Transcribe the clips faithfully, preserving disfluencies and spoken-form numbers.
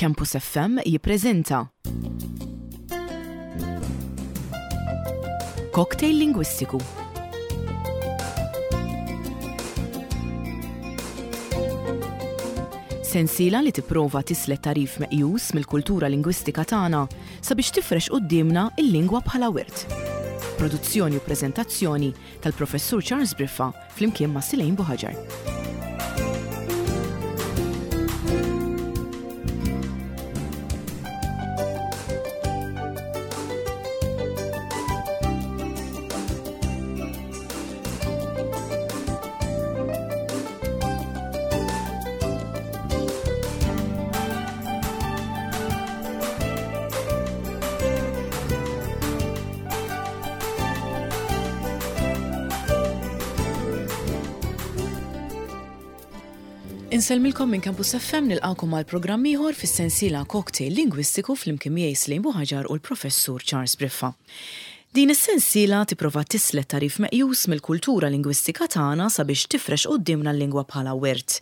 Campus F M jippreżenta Cocktail Lingwistiku. Sensiela li tipprova tislet tagħrif meqjus mill-kultura lingwistika tagħna sabiex tifrex quddiemna l-lingwa bħala wirt. Produzzjoni u preżentazzjoni tal-Professur Charles Briffa flimkien ma' Silejn Buħaġar. Insellmilkom minn Campus F M, nilqakom għal programm ieħor fis-sensiela Cocktail Lingwistiku flimkien miegħi Slejn Buħaġar u l-Professur Charles Briffa. Din is-sensiela tipprova tislet tagħrif meqjus mill-kultura lingwistika tagħna sabiex tifrex quddiemna l-lingwa bħala wirt.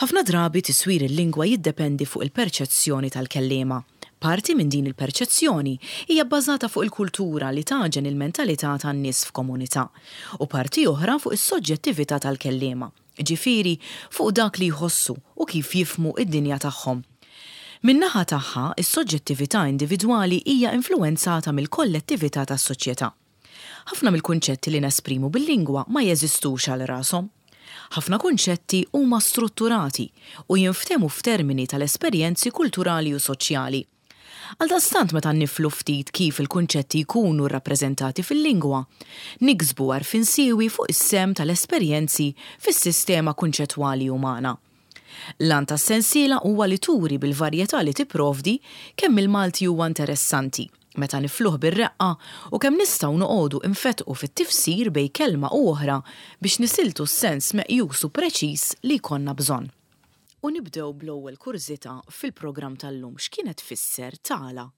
Ħafna drabi tiswir il-lingwa jiddependi fuq il-perċezzjoni tal-kelliema. Parti minn din il-perċezzjoni hija bbażata fuq il-kultura li taġen il-mentalità tan-nies f'komunità u parti oħra fuq is-soġġettività tal-kelliema, ġifieri fuq dak li jħossu u kif jifhmu id-dinja tagħhom. Min-naħa tagħha, is-soġġettività individwali hija influwenzata mill-kollettività tas-soċjetà. Ħafna mill-kunċetti li nesprimu bil-lingwa ma jeżistux għal rashom. Ħafna kunċetti huma strutturati u jinftehmu f'termini tal-esperjenzi kulturali u soċjali. Għaldaqstant, meta niflu ftit kif il-kunċetti jkunu rrappreżentati fil-lingwa, niksbu għarfien siewi fuq is-sehem tal-esperjenzi fis-sistema kunċettwali umana. L-għan tas-sensiela huwa li turi bil-varjetà li tipprovdi kemm il-Malti huwa interessanti meta nifluh bir-reqqa u kemm nistgħu noqogħdu infetqu fit-tifsir bejn kelma u oħra biex nisiltu s-sens meqjus u preċiż li jkollna bżonn. U nibdew bl-ewwel kurżità fil-programm tal-lum: x'kienet tfisser tala?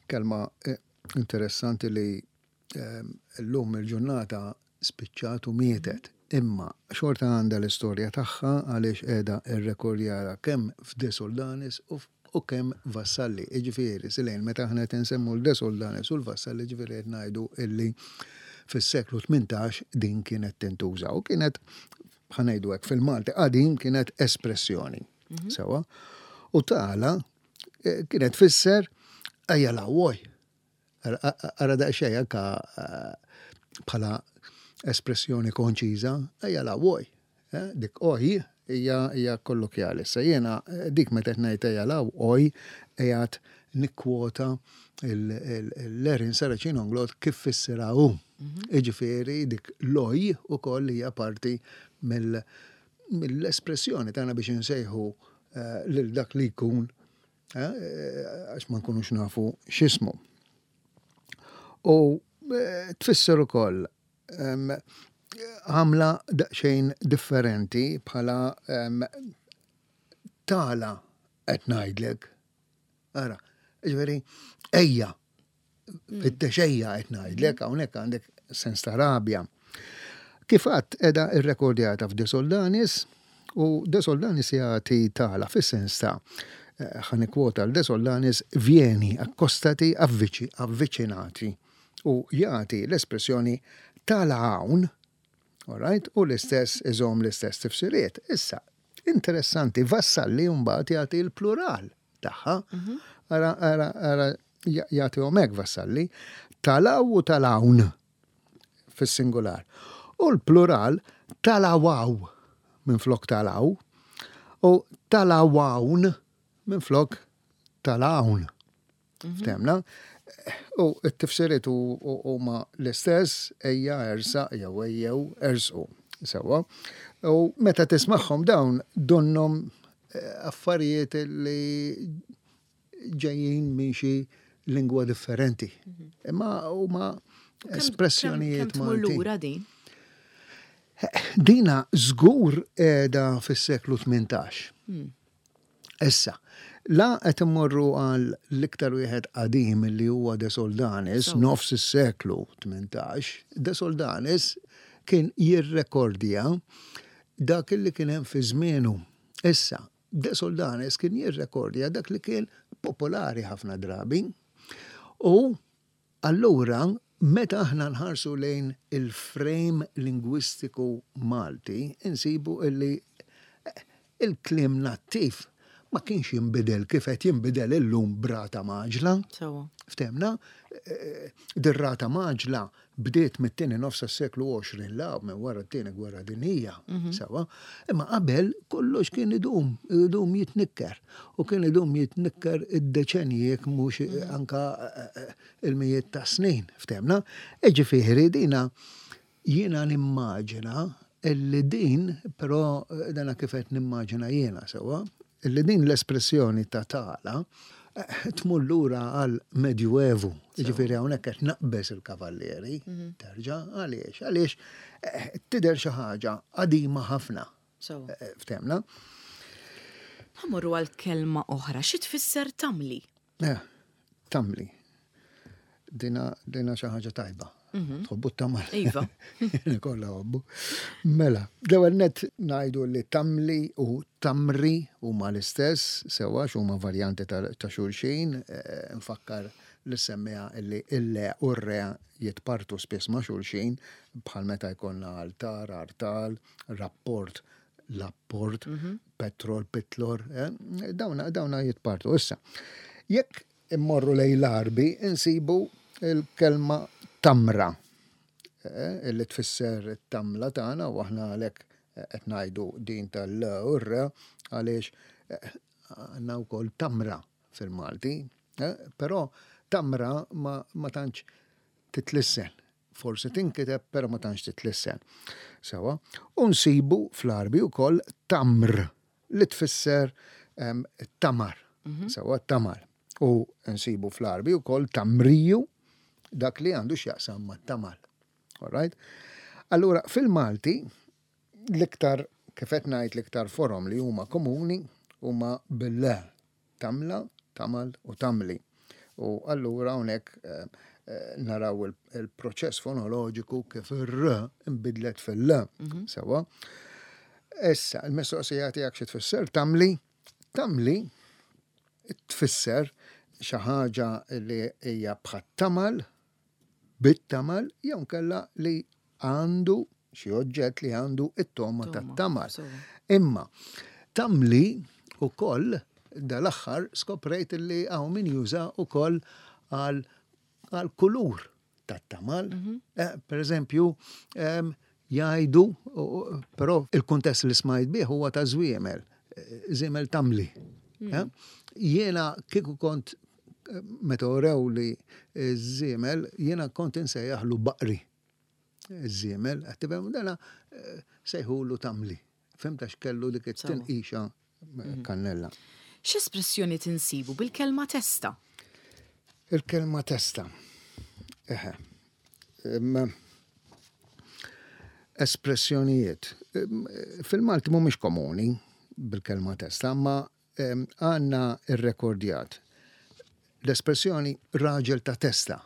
Kelma eh, interessanti li eh, l-lum il-ġurnata spiċċat u mietet. Imma xorta għandha l-istorja tagħha għaliex qiegħda irrekordjata kemm f'De Soldanis u u kemm Vassalli. Iġifieri, Silejn, meta aħna qed insemmu l-De Soldanis u l-Vassalli, ġifieri qed ngħidu illi fis-seklu tmintax din kienet tintuża u kienet, ħa ngħidu hekk, fil-Malti qadim kienet espressjoni. Mhm. Sewa. U tala eh, kienet tfisser ejja lawoj. Ara daqsxejn anka eh, bħala espressjoni konċiża, ejja lawoj. Eh, dik oj hija hija kollokjali. Se jiena dik meta qed ngħid ejja law oj qiegħed nikkwota l-Erin Saracino Englot kif fissirha hu. Mhm. Iġifieri dik l-oj ukoll hija parti mill-espressjoni tagħna biex insejħu eh, lil dak li jkun eh, għax ma nkunux nafu x'ismu. U eh, tfisser ukoll għamla daqsxejn differenti bħala tala qed ngħidlek. Ara, ġifieri, ejja, fit-texejja qed ngħidlek, hawnhekk għandek sens ta' rabja. Kif għedt, qiegħda irrekordjata f'De Soldanis u De Soldanis jagħti tala fis-sens ta' eh, ħa nikkwota l-De Soldanis: "Vieni, accostati, avvici, avvicinati", u jagħti l-espressjoni tala hawn, alright, u l-istess iżomm l-istess tifsiriet. Issa, interessanti, Vassalli mbagħad jagħti l-plural tagħha. Mhm. Ara, ara, ara, jagħti hekk Vassalli, talaw u talawn fis-singular. U l-plural talawaw minn flok talaw u talawawn minn flok talawn. Mhm. Ftemna? U t-tifsiriet huma l-istess, ejja, ersaq, jew ejjew, ersqu. Sewa. U meta tismagħhom dawn donnhom eh, affarijiet li ġejjin minn xi lingwa differenti. Mhm. Imma huma espressjonijiet Maltin. Lura din? Dina żgur qiegħda fis-seklu tmintax. Hmm. Issa, la qed immorru għal l-iktar wieħed qadim li huwa De Soldanis, nofs is-seklu tmintax, De Soldanis kien jirrekordja dak li kien hemm fi żmienu. Issa, De Soldanis kien jirrekordja dak li kien popolari ħafna drabi. U allura meta aħna nħarsu lejn il-frame lingwistiku Malti, insibu illi il-kliem nattiv ma kienx jinbidel kif qed jinbidel illum b'rata mgħaġġla. Sewwa. Ftemna, eh, dir-rata mgħaġġla bdiet mit-tieni nofs tas-seklu għoxrin la minn wara t-tieni gwerra dinjija, sewwa. Imma qabel kollox kien idum, idum jitnikker. U kien idum jitnikker id-deċenji jekk mhux anka eh, eh, il-mijiet ta' snin, ftemna. Ġifieri dina jiena nimmaġina illi din, però eh, dana kif qed nimmaġina jiena sewwa, illi din l-espressjoni ta' tala eh, tmur lura għal Medjuevu. Ġifieri hawnhekk qed naqbeż il-kavallieri, terġa' għaliex, għaliex eh, tidher xi ħaġa qadima ħafna. Sewwa. Eh, Ftemna? Ħa mmorru għal kelma oħra, xi tfisser tamli? Eh, tamli. Dina, dina xi ħaġa tajba. Tħobbu t-tamal. Iva. Kollha ħobbu. Mela, l-ewwel net ngħidu li tamli u tamri huma l-istess, sewwa huma varjanti ta' ta' xulxin, eh, nfakkar li semmija illi il-le u r-re jitpartu spiss ma' xulxin bħal meta jkollna altar, artal, rapport, lapport, petrol, pitlor, eh, dawna, dawna jitpartu. Issa, jekk immorru lejn l-Għarbi, insibu il-kelma tamra, eh, illi tfisser it-tamla tagħna u aħna għalhekk qed ngħidu din tal-l u r għaliex eh, għandna wkoll tamra fil-Malti, eh, però tamra ma, ma tantx titlissen. Forsi tinkiteb, però ma tantx titlissen. Sewwa, u nsibu fl-Għarbi wkoll tamr li tfisser em, tamar. Sewwa, tamar. U nsibu fl-Għarbi wkoll tamriju, dak li għandu x'jaqsam mat-tamal. All right? Allura, fil-Malti, l-iktar, kif qed ngħid, l-iktar forom li huma komuni huma bil-le, tamla, tamal u tamli. U allura hawnhekk eh, eh, naraw il- il-proċess fonoloġiku kif ir-r imbidlet fil-l. Sewwa. Issa, il-mistoqsija tiegħek xi tfisser tamli? Tamli tfisser xi ħaġa li hija bħat-tamal, bit-tamal, jew kella li għandu xi oġġett li għandu it-toma Toma, tat-tamal. sewwa. Imma tamli ukoll dal-aħħar skoprejt li hawn min juża ukoll għal għal kulur tat-tamal. Eh, per eżempju, em, jgħidu, u- u- però il-kuntest li smajt bih huwa ta' żwiemel, eh, żiemel tamli. Eh? Jiena kieku kont eh, meta urew li żiemel, jiena kont insejjaħlu baqri. Żiemel, qed tifhem, dana eh, sejħulu tamli. Fhimt għax kellu dik it-tinqixa eh, kannella. X'espressjoni tinsibu bil-kelma testa? Il-kelma testa. Eħe. Em, Espressjonijiet. Em, Fil-Malti mhumiex komuni bil-kelma testa, ma em, għandna irrekordjat l-espressjoni raġel ta' testa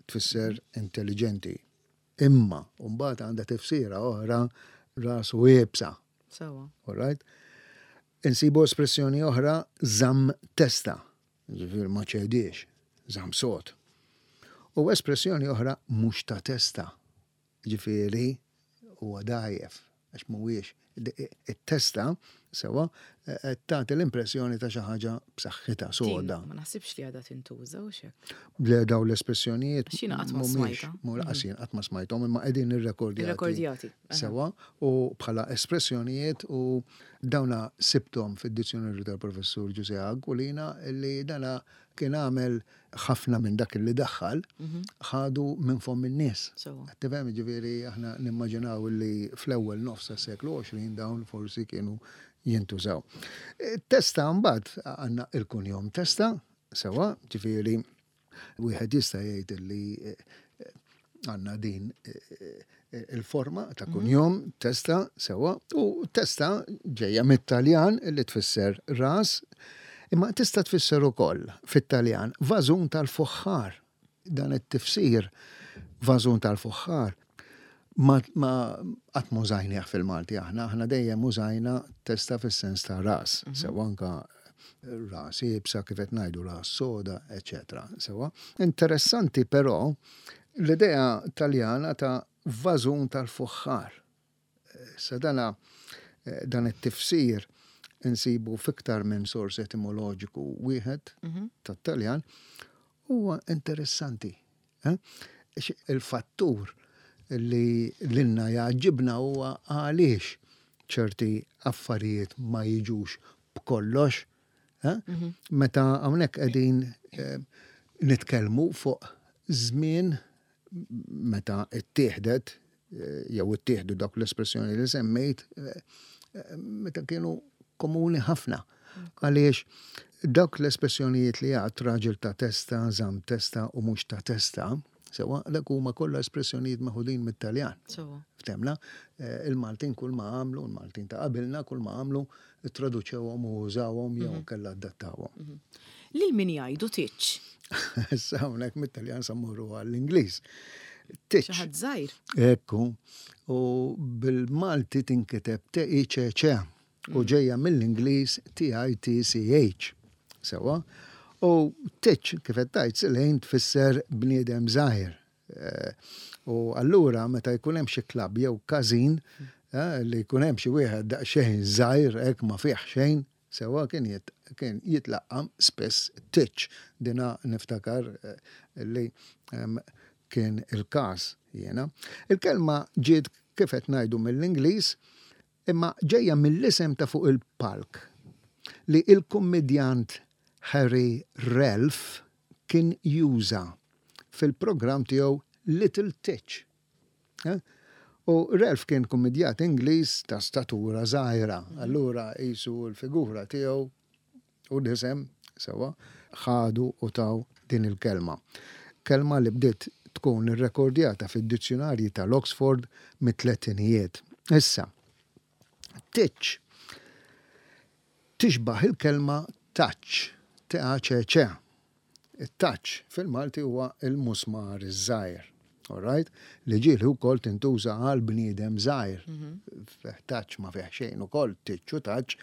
tfisser intelligenti. Imma, mbagħad għandha tifsira oħra rasu iebsa. Sewwa. All right? Insibu espressjoni oħra żamm testa, ġifieri ma ċediex, żamm sod. U espressjoni oħra mhux ta' testa, ġifieri huwa dgħajjef, għax mhuwiex it-testa sewwa qed tagħti l-impressjoni ta' xi ħaġa b'saħħitha soda. Ma naħsibx li għadha tintuża u xek. Le daw l-espressjonijiet Għax jiena qatt ma mhumiex, smajtha. mhu lanqas jien qatt ma smajthom imma qegħdin irrekordjati. Irrekordjati, aha. Sewwa u bħala espressjonijiet u dawna sibthom fid-dizzjonarju tal-professur Ġużè Aquilina li dana kien għamel ħafna minn dak li daħħal ħadu minn fomm in-nies. Sewwa. Qed tifhem, ġifieri aħna nimmaġinaw li fl-ewwel nofs tas-seklu għoxrin dawn forsi kienu jintużaw. E, Testa mbagħad għandna il-kunjom testa, sewwa, ġifieri wieħed jista' jgħid li eh, għandna din eh, eh, il-forma ta' kunjom testa sewwa u testa ġejja mit-Taljan li tfisser ras, imma tista' tfisser ukoll fit-Taljan vażun tal-fuħħar. Dan it-tifsir vażun tal-fuħħar Ma qatt m'użajnieh fil-Malti aħna, aħna dejjem użajna testa fis-sens ta' ras, mhm. sewa anka ras iebsa, kif qed ngħidu, ras soda, eċetera. Sewa. Interessanti però l-idea Taljana ta' vażun tal-fuħħar. Sa dana eh, dan it-tifsir insibu fiktar minn sors etimoloġiku wieħed mhm. tat-Taljan, huwa interessanti. Eh? Il-fattur li lilna jgħaġġibna huwa għaliex ċerti affarijiet ma jiġux b'kollox. Eh? Mhm. Meta hawnhekk qegħdin eh, nitkellmu fuq żmien meta ittieħdet eh, jew ittieħdu dak l-espressjoni li semmejt, meta kienu komuni ħafna. Għaliex dawk l-espressjonijiet li għad raġel ta' testa, żamm testa u mhux ta' testa, sewa, dak huma kollha espressjonijiet meħudin mit-Taljan. Ftemna, eh, il-Maltin kull ma għamlu, il-Maltin ta' qabilna kull ma għamlu, traduċewhom u użawhom jew mhm. kella adattawhom. Mhm. Lil min jgħidu titch? Issa hawnhekk mit-Taljan sa mmorru għall-Ingliż. Titch. Xi ħadd żgħir. Ekku. U bil-Malti tinkiteb T I C C u mm. ġejja mill-Ingliż T I T C H. Sewa. U titch, kif qed tgħid Silejn, tfisser bniedem żgħir. Eh, u allura meta jkun hemm xi klabb jew każin eh, li jkun hemm xi wieħed daqsxejn żgħir, hekk ma fih xejn, sewa, kien kien jitlaqqam spess titch. Dina niftakar eh, li kien il-każ jiena. Il-kelma ġiet, kif qed ngħidu, mill-Ingliż, imma ġejja mill-isem ta' fuq il-palk li il-kummedjant Harry Ralph kien juża fil-programm tiegħu Little Titch. Eh? U Ralph kien kummedjant Ingliż ta' statura żgħira, allura qisu l-figura tiegħu u l-isem, sewa, ħadu u taw din il-kelma. Kelma li bdiet tkun irrekordjata fid-dizzjonarji tal-Oxford mit-tletinijiet. Issa, titch tixbaħ il-kelma touch, T A C C. Il-touch fil-Malti huwa il-musmar iż-żgħir. All right? Li ġieli wkoll tintuża għal bniedem żgħir. Mhm. Touch ma fih xejn ukoll, titch u touch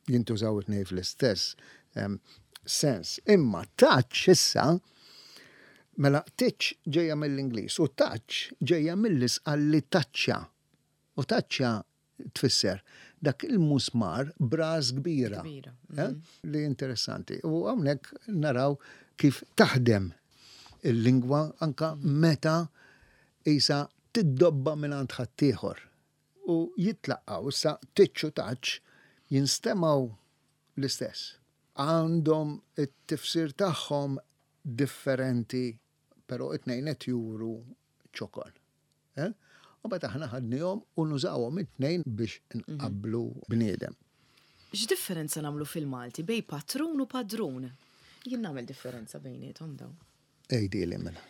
jintużaw it-tnejn fl-istess sens. Imma touch issa, mela titch ġejja mill-Ingliż u touch ġejja mill-Isqalli taċċa. U taċċa tfisser dak il-musmar b'ras kbira. Eh? Mhm. Li interessanti. U hawnhekk naraw kif taħdem il-lingwa anka meta isa tiddobba minn għand ħaddieħor. U jitlaqgħu issa titch u touch jinstemgħu l-istess. Għandhom it-tifsir tagħhom differenti, però it-tnejn qed juru ċokon. Eh? U mbagħad aħna ħadnihom u nużawhom it-tnejn biex nqabblu bniedem. X'differenza nagħmlu fil-Malti bejn patrun u padrun? Jien nagħmel differenza bejniethom dawn. Għidili mela.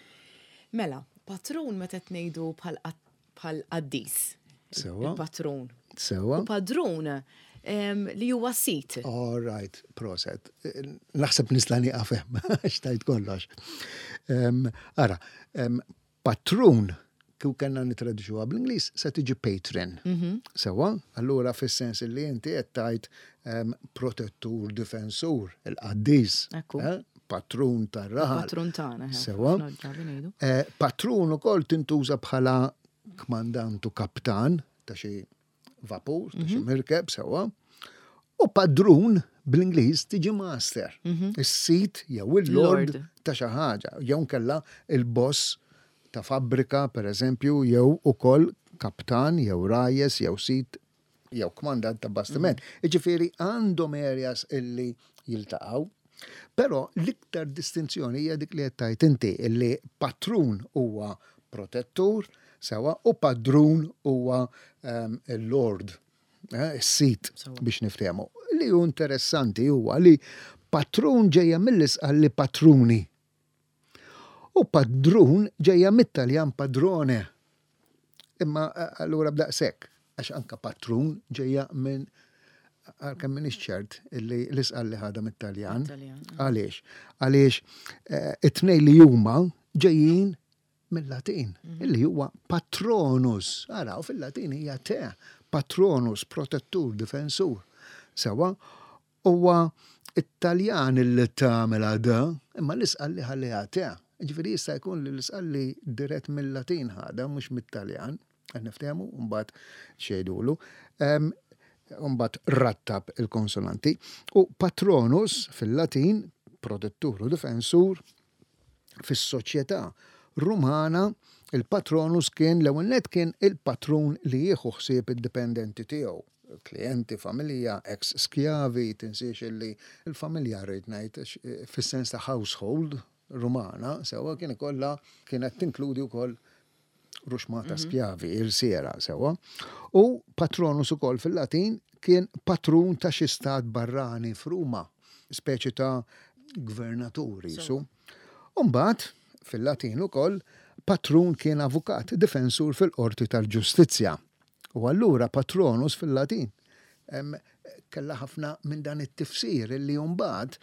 Mela, patrun meta ngħidu bħal qaddis. Sewa. Il-patrun. Sewa. U padrun li huwa sit. All right, proset. Naħseb nista' nieqaf hemm, xtajt kollox. Ara, patrun, kieku kellna nitraduċuha bl-Ingliż, se tiġi patron. Mhm. Sewa, allura fis-sens li inti qed tgħid protettur, difensur, il-qaddis. Eh? Patrun tar-raħal. Patrun tagħna. Eh, Sewa. Eh, patrun ukoll tintuża bħala kmandant u kaptan ta' xi vapur, ta' xi mhm. mirkeb, sewa. U padrun bl-Ingliż tiġi master. Mhm. Is-sit jew il-lord ta' xi ħaġa, jew kella il-boss ta' fabbrika, per eżempju, jew ukoll kaptan, jew rajes, jew sit, jew kmandant ta' bastiment. Mm. Iġifieri għandhom areas illi jiltaqgħu. Però l-iktar distinzjoni hija dik li qed tgħid inti, illi patrun huwa protettur, sewa, u padrun huwa um, il-lord, eh, is-sit biex niftehmu. Li hu interessanti huwa li patrun ġejja mill-Isqalli patruni. U padrun ġejja mit-Taljan padrone. Imma eh, allura b'daqshekk, għax anka patrun ġejja minn, għalkemm m'iniex ċert illi l-Isqalli ħadha mit-Taljan. Għaliex? Għaliex eh, it-tnejn li huma ġejjin mill-Latin, illi huwa patronus. Ara, u fil-Latin hija te, patronus, protettur, difensur. Sewa, huwa Italjan illi tagħmel da, imma l-Isqalli ħalliha te. Ġifieri jista' jkun li l-Isqalli dirett mill-Latin ħada, mhux mit-Taljan. Qed niftehmu, mbagħad xejdulu. Mbagħad rattab il-konsonanti. U patronus fil-Latin, protettur u difensur, fis-soċjetà Rumana, il-patronus kien l-ewwel nett kien il-patrun li jieħu ħsieb id-dipendenti tiegħu. Klienti, familja, ex skjavi, tinsiex illi il-familja rrid ngħid fis-sens ta' household Rumana, sewa kien ikollha kienet tinkludi wkoll ruxmata skjavi, irsiera, sewa. U patronus ukoll fil-Latin kien patrun ta' xi stat barrani f'Ruma, speċi ta' gvernaturi. Su. Umbagħad, fil-Latin ukoll, patrun kien avukat, difensur fil-qorti tal-ġustizzja. U allura patronus fil-Latin em, kella ħafna minn dan it-tifsir illi mbagħad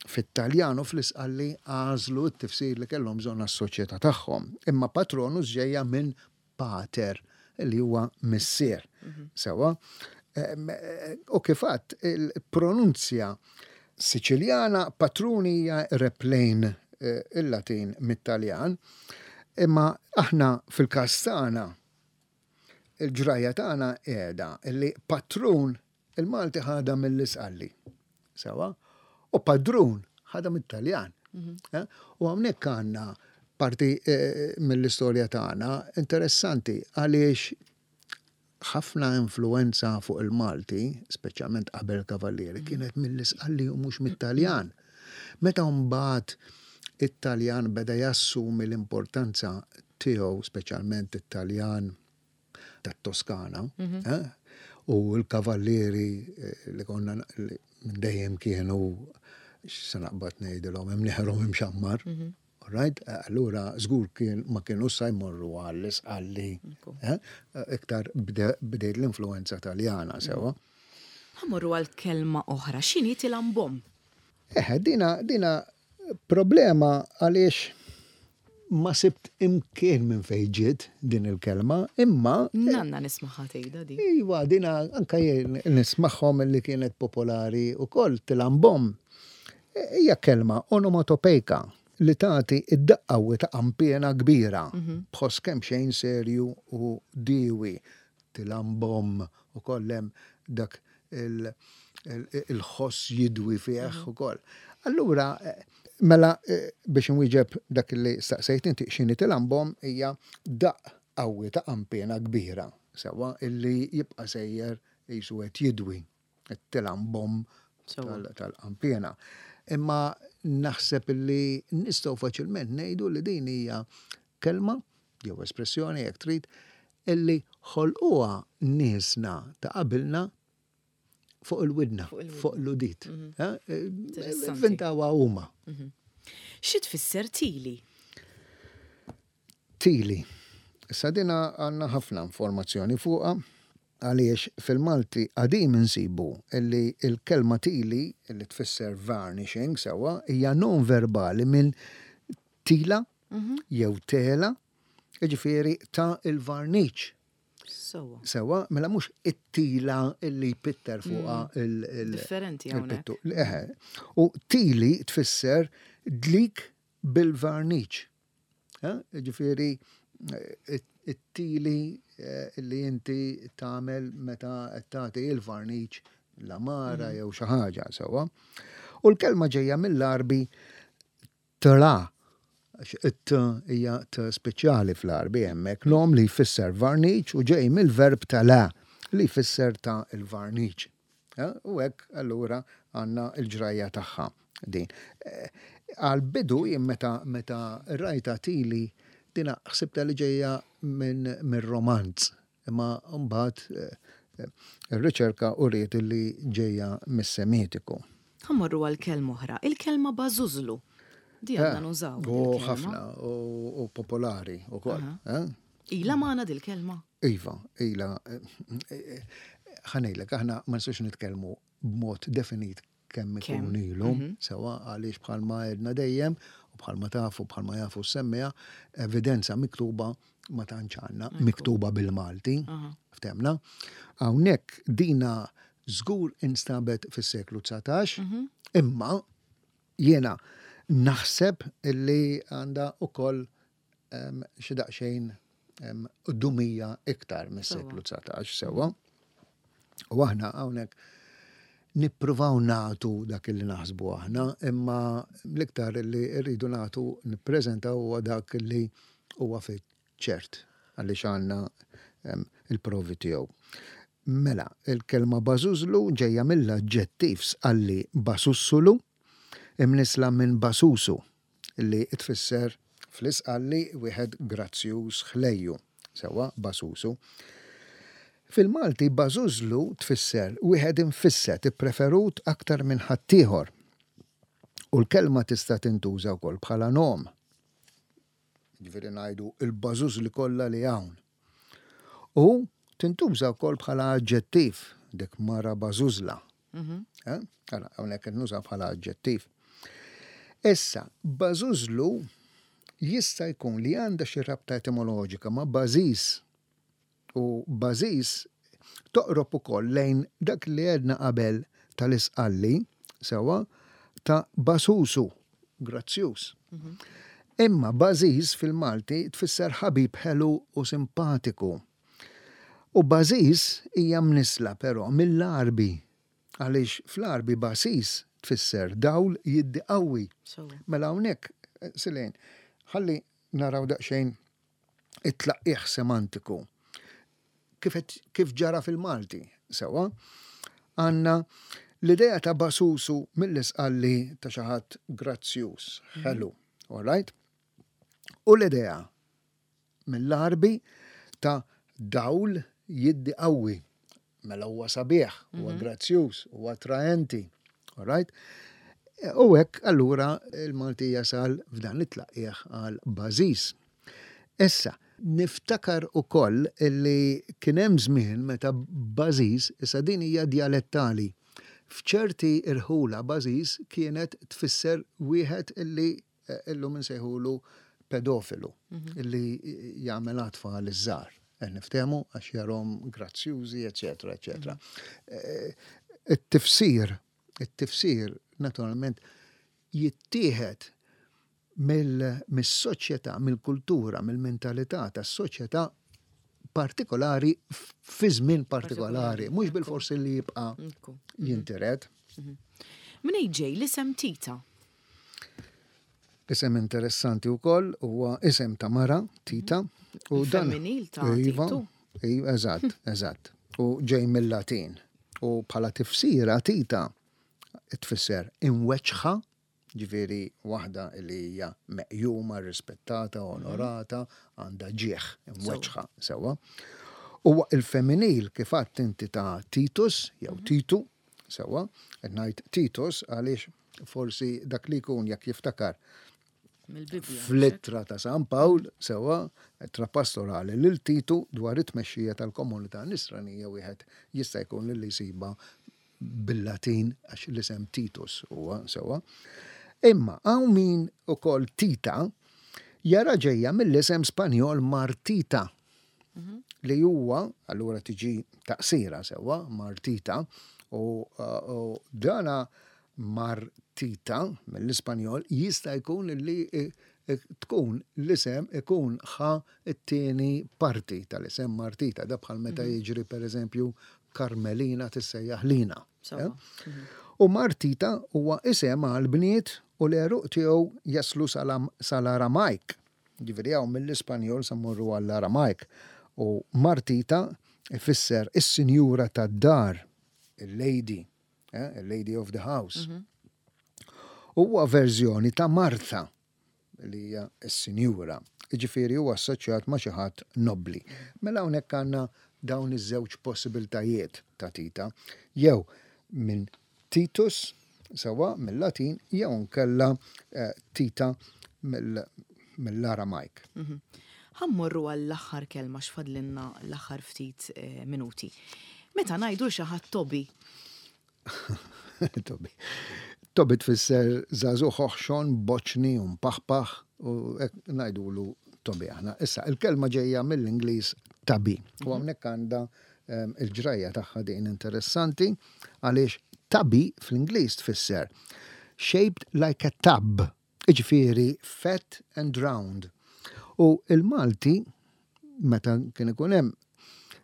fit-Taljan u fl-Isqalli għażlu t-tifsir li kellhom bżonn għas-soċjetà tagħhom. Imma patronus ġejja minn pater li huwa missier. Sewa. Em, eh, U kif għedt il-pronunzja Siċiljana patruni hija replejn eh, il-Latin mit-Taljan, imma aħna fil-każ tagħna il-ġrajja tagħna qiegħda illi patrun il-Malti ħada mill-Isqalli. Sewa? U padrun ħada mit-Taljan. Eh? U hawnhekk għandna parti eh, mill-istorja tagħna interessanti għaliex ħafna influenza fuq il-Malti, speċjalment qabel Kavallieri, kienet mill-Isqalli u mhux mit-Taljan. Meta mbagħad it-Taljan beda jassumi l-importanza tiegħu, speċjalment it-Taljan tat-Toskana, eh? U l-kavallieri eh, li konna li minn dejjem kienu se naqbad ngħidilhom imnieħerhom imxammar. Right? Allura żgur kien ma kienu sa jmorru għall-Isqalli, eh? Iktar bdejt l-influenza Taljana sewa. Ħa mmorru għal kelma oħra, x'inhi tilambom? Eh, dina, dina problema għaliex ma sibt imkien minn fejn ġiet din il-kelma, imma Nanna nismagħha tgħidha di. Iwa, dina anka jien nismagħhom li kienet popolari u koll tilambom. Hija kelma onomatopejka li tagħti id-daqqawi ta' qampiena kbira, b'ħoss kemm xejn serju u diwi, tilambom u kollem dak il-ħoss jidwi fih u koll. Allura, mela biex nwieġeb dak li staqsejt inti x'inhi tilambom hija daqq qawwi ta' qampiena kbira, sewa illi jibqa' sejjer jisu qed jidwi tilambom tal-qampiena. Imma naħseb illi nistgħu faċilment ngħidu li din hija kelma jew espressjoni jekk trid illi ħolquha niesna ta' qabilna fuq il-widna, fuq l-udit. Ivvintawha huma. Xi tfisser tili? Tili. Issa dina għandna ħafna informazzjoni fuqha għaliex fil-Malti qadim insibu illi il-kelma tili illi tfisser varnishing sewa hija non verbali minn tila jew tela, jiġifieri ta' il-varniċ. Sewa. Sewa, mela mhux it-tila illi jpitter fuqha il- Differenti hawnhekk. il-pittu. Eħe. U tili tfisser dlik bil-varniċ. Ġifieri it-tili li inti tagħmel meta tagħti il-varniċ l-għamara jew xi ħaġa sewa. U l-kelma ġejja mill-Arbi tla, għax it hija t speċjali fl-Arbi hemmhekk, nom li jfisser varniċ u ġej mill-verb tala li jfisser ta' il-varniċ. U hekk allura għandna l-ġrajja tagħha din. Għal-bidu jien meta meta rajta tili dina ħsibta li ġejja minn min romanz, imma mbagħad ir-riċerka uriet li ġejja mis-Semitiku. Ħa mmorru għal kelma oħra, il-kelma bażużlu. Di għandna nużaw. U ħafna, u popolari u koll. Ila magħna dil-kelma? Iva, ila. Ħa ngħidlek, aħna ma nistgħux nitkellmu b'mod definit kemm ikun ilu, sewa għaliex bħalma għedna dejjem u Bħalma tafu, bħalma jafu s-semmiegħa, evidenza miktuba ma tantx għandna, miktuba bil-Malti, ftehmna. Hawnhekk dina żgur instabet fis-seklu dsatax, imma jiena naħseb illi għandha ukoll xi daqsxejn dumija iktar mis-seklu dsatax, sewwa. U aħna hawnhekk nippruvaw nagħtu dak li naħsbu aħna, imma l-iktar li rridu nagħtu nippreżentaw huwa dak li huwa ċert għaliex għandna il-provi tiegħu. Mela, il-kelma bażużlu ġejja mill-aġġettiv Sqalli basussulu, imnisla minn basusu, li tfisser fl-Isqalli wieħed grazzjuż, ħlejju, sewwa, basusu. Fil-Malti bażużlu tfisser wieħed infisset, ippreferut aktar minn ħaddieħor. U l-kelma tista' tintuża wkoll bħala nom. Ġifieri ngħidu il-bażużli kollha li hawn. U tintuża wkoll bħala aġġettiv, dik mara bażużla. Eh? Ara, hawnhekk nuża bħala aġġettiv. Issa, bażużlu jista' jkun li għandha xi rabta etimoloġika ma' bażiż. U bażiż toqrob ukoll lejn dak li għedna qabel tal-Isqalli, sewwa, ta' basusu, grazzjuż. Imma bażiż fil-Malti tfisser ħabib ħelu u simpatiku. U bażiż hija mnisla però mill-Għarbi, għaliex fl-Għarbi bażiż tfisser dawl jiddi qawwi. Mela hawnhekk, Silejn, ħalli naraw daqsxejn it-tlaqqieħ semantiku. Kif, kif ġara fil-Malti, sewwa, għandna l-idea ta' basusu mill-Isqalli ta' xi ħadd grazzjuż, ħelu, all right? U l-idea mill-Għarbi ta' dawl jiddi qawwi. Mela huwa sabiħ, huwa grazzjuż, huwa attraenti, all right? U hekk allura il-Malti jasal f'dan it-tlaqqieħ għal bażiż. Issa, niftakar ukoll illi kien hemm żmien meta bażiż, issa din hija dialettali, f'ċerti irħula bażiż kienet tfisser wieħed illi illum insejħulu pedofilu, illi jagħmel tfal iż-żgħar. Niftehmu għax jarahom grazzjużi, eċetera, eċetera. It-tifsir, it-tifsir naturalment jittieħed mill-soċjetà, mill-kultura, mill-mentalità tas-soċjetà partikolari fi żmien partikolari, mhux bil-forsi li jibqa' jintiret. Minn ġej l-isem Tita? Isem interessanti wkoll huwa isem ta' mara, Tita. U dan femminil ta' Iva, Titu. Iva, eżatt, eżatt. U ġej mill-Latin. U bħala tifsira Tita tfisser imweċħa, ġifieri waħda li hija meqjuma, rispettata, onorata, għandha ġieħ, imweċħa, sewwa. U il-femminil kif għedt inti ta' Titus, jew Titu, sewwa, qed ngħid Titus għaliex forsi dak li jkun jekk jiftakar Mill-Bibbja. fl-ittra ta' San Pawl, sewwa, ittra pastorali lil Titu dwar it-tmexxija tal-komunità nisranija, wieħed jista' jkun li jsiba bil-Latin għax l-isem Titus huwa sewwa. Imma hawn min ukoll Tita jara ġejja mill-isem Spanjol Martita, li huwa allura tiġi taqsira, sewwa, Martita, u, u dana Martita mill-Ispanjol jista' jkun li tkun l-isem ikun ħa t-tieni parti tal-isem Martita, da bħal meta jiġri per eżempju Carmelina tissejjaħ Lina. Sewwa. U Martita huwa isem għal bniet u l-għeruq tiegħu jaslu sal-Aramajk. Ġifieri hawn mill-Ispanjol sa mmorru għall-Aramajk. U Martita ifisser is-sinjura tad-dar, il-lady, eh, il-lady of the house. Huwa verżjoni ta' Martha, li hija s-sinjura. Ġifieri huwa assoċjat ma' xi ħadd nobbli. Mela hawnhekk għandna dawn iż-żewġ possibiltajiet ta' Tita, jew minn Titus, sewwa mill-Latin, jew nkella eh, Tita mill-Aramajk. Ħa mmorru għall-aħħar kelma x'fadlinna l-aħħar ftit eh, minuti. Meta ngħidu xi ħadd Tobi. Tobi. Tobi tfisser żagħżugħ oħxon, boċni, u mpaħpaħ, u hekk ngħidulu Tobi aħna. Issa, il-kelma ġejja mill-Ingliż tubby. U hawnhekk għandha em, il-ġrajja tagħha din interessanti, għaliex tubby fl-Ingliż tfisser shaped like a tub, iġifieri fat and round. U il-Malti, meta kien ikun hemm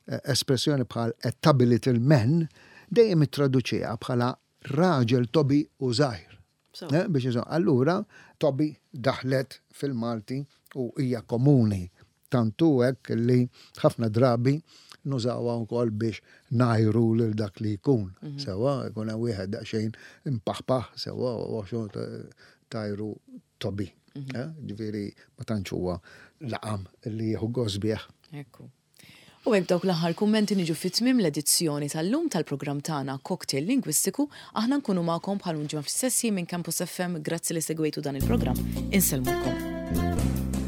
eh, espressjoni bħal "a tubby little man", dejjem ittraduċiha bħala raġel tobi u żgħir. So. Eh, biex jizo, allura tobi daħlet fil-Malti u hija komuni. Tantu hekk li ħafna drabi nużawha wkoll biex ngħajru lil dak li jkun. Sewa, jkun hemm wieħed daqsxejn impaħpaħ, sewa, u għaxu tgħajru tobi. Eh, Ġifieri ma tantx huwa laqam li jieħu gost bih. Ekku. U hekk dawk l-aħħar kummenti niġu fit-tmiem l-edizzjoni tal-lum tal-programm tagħna Cocktail Lingwistiku. Aħna nkunu magħkom bħal ġimgħa fl-istess minn Campus F M. Grazzi li segwejtu dan il-programm. Insellmulkom.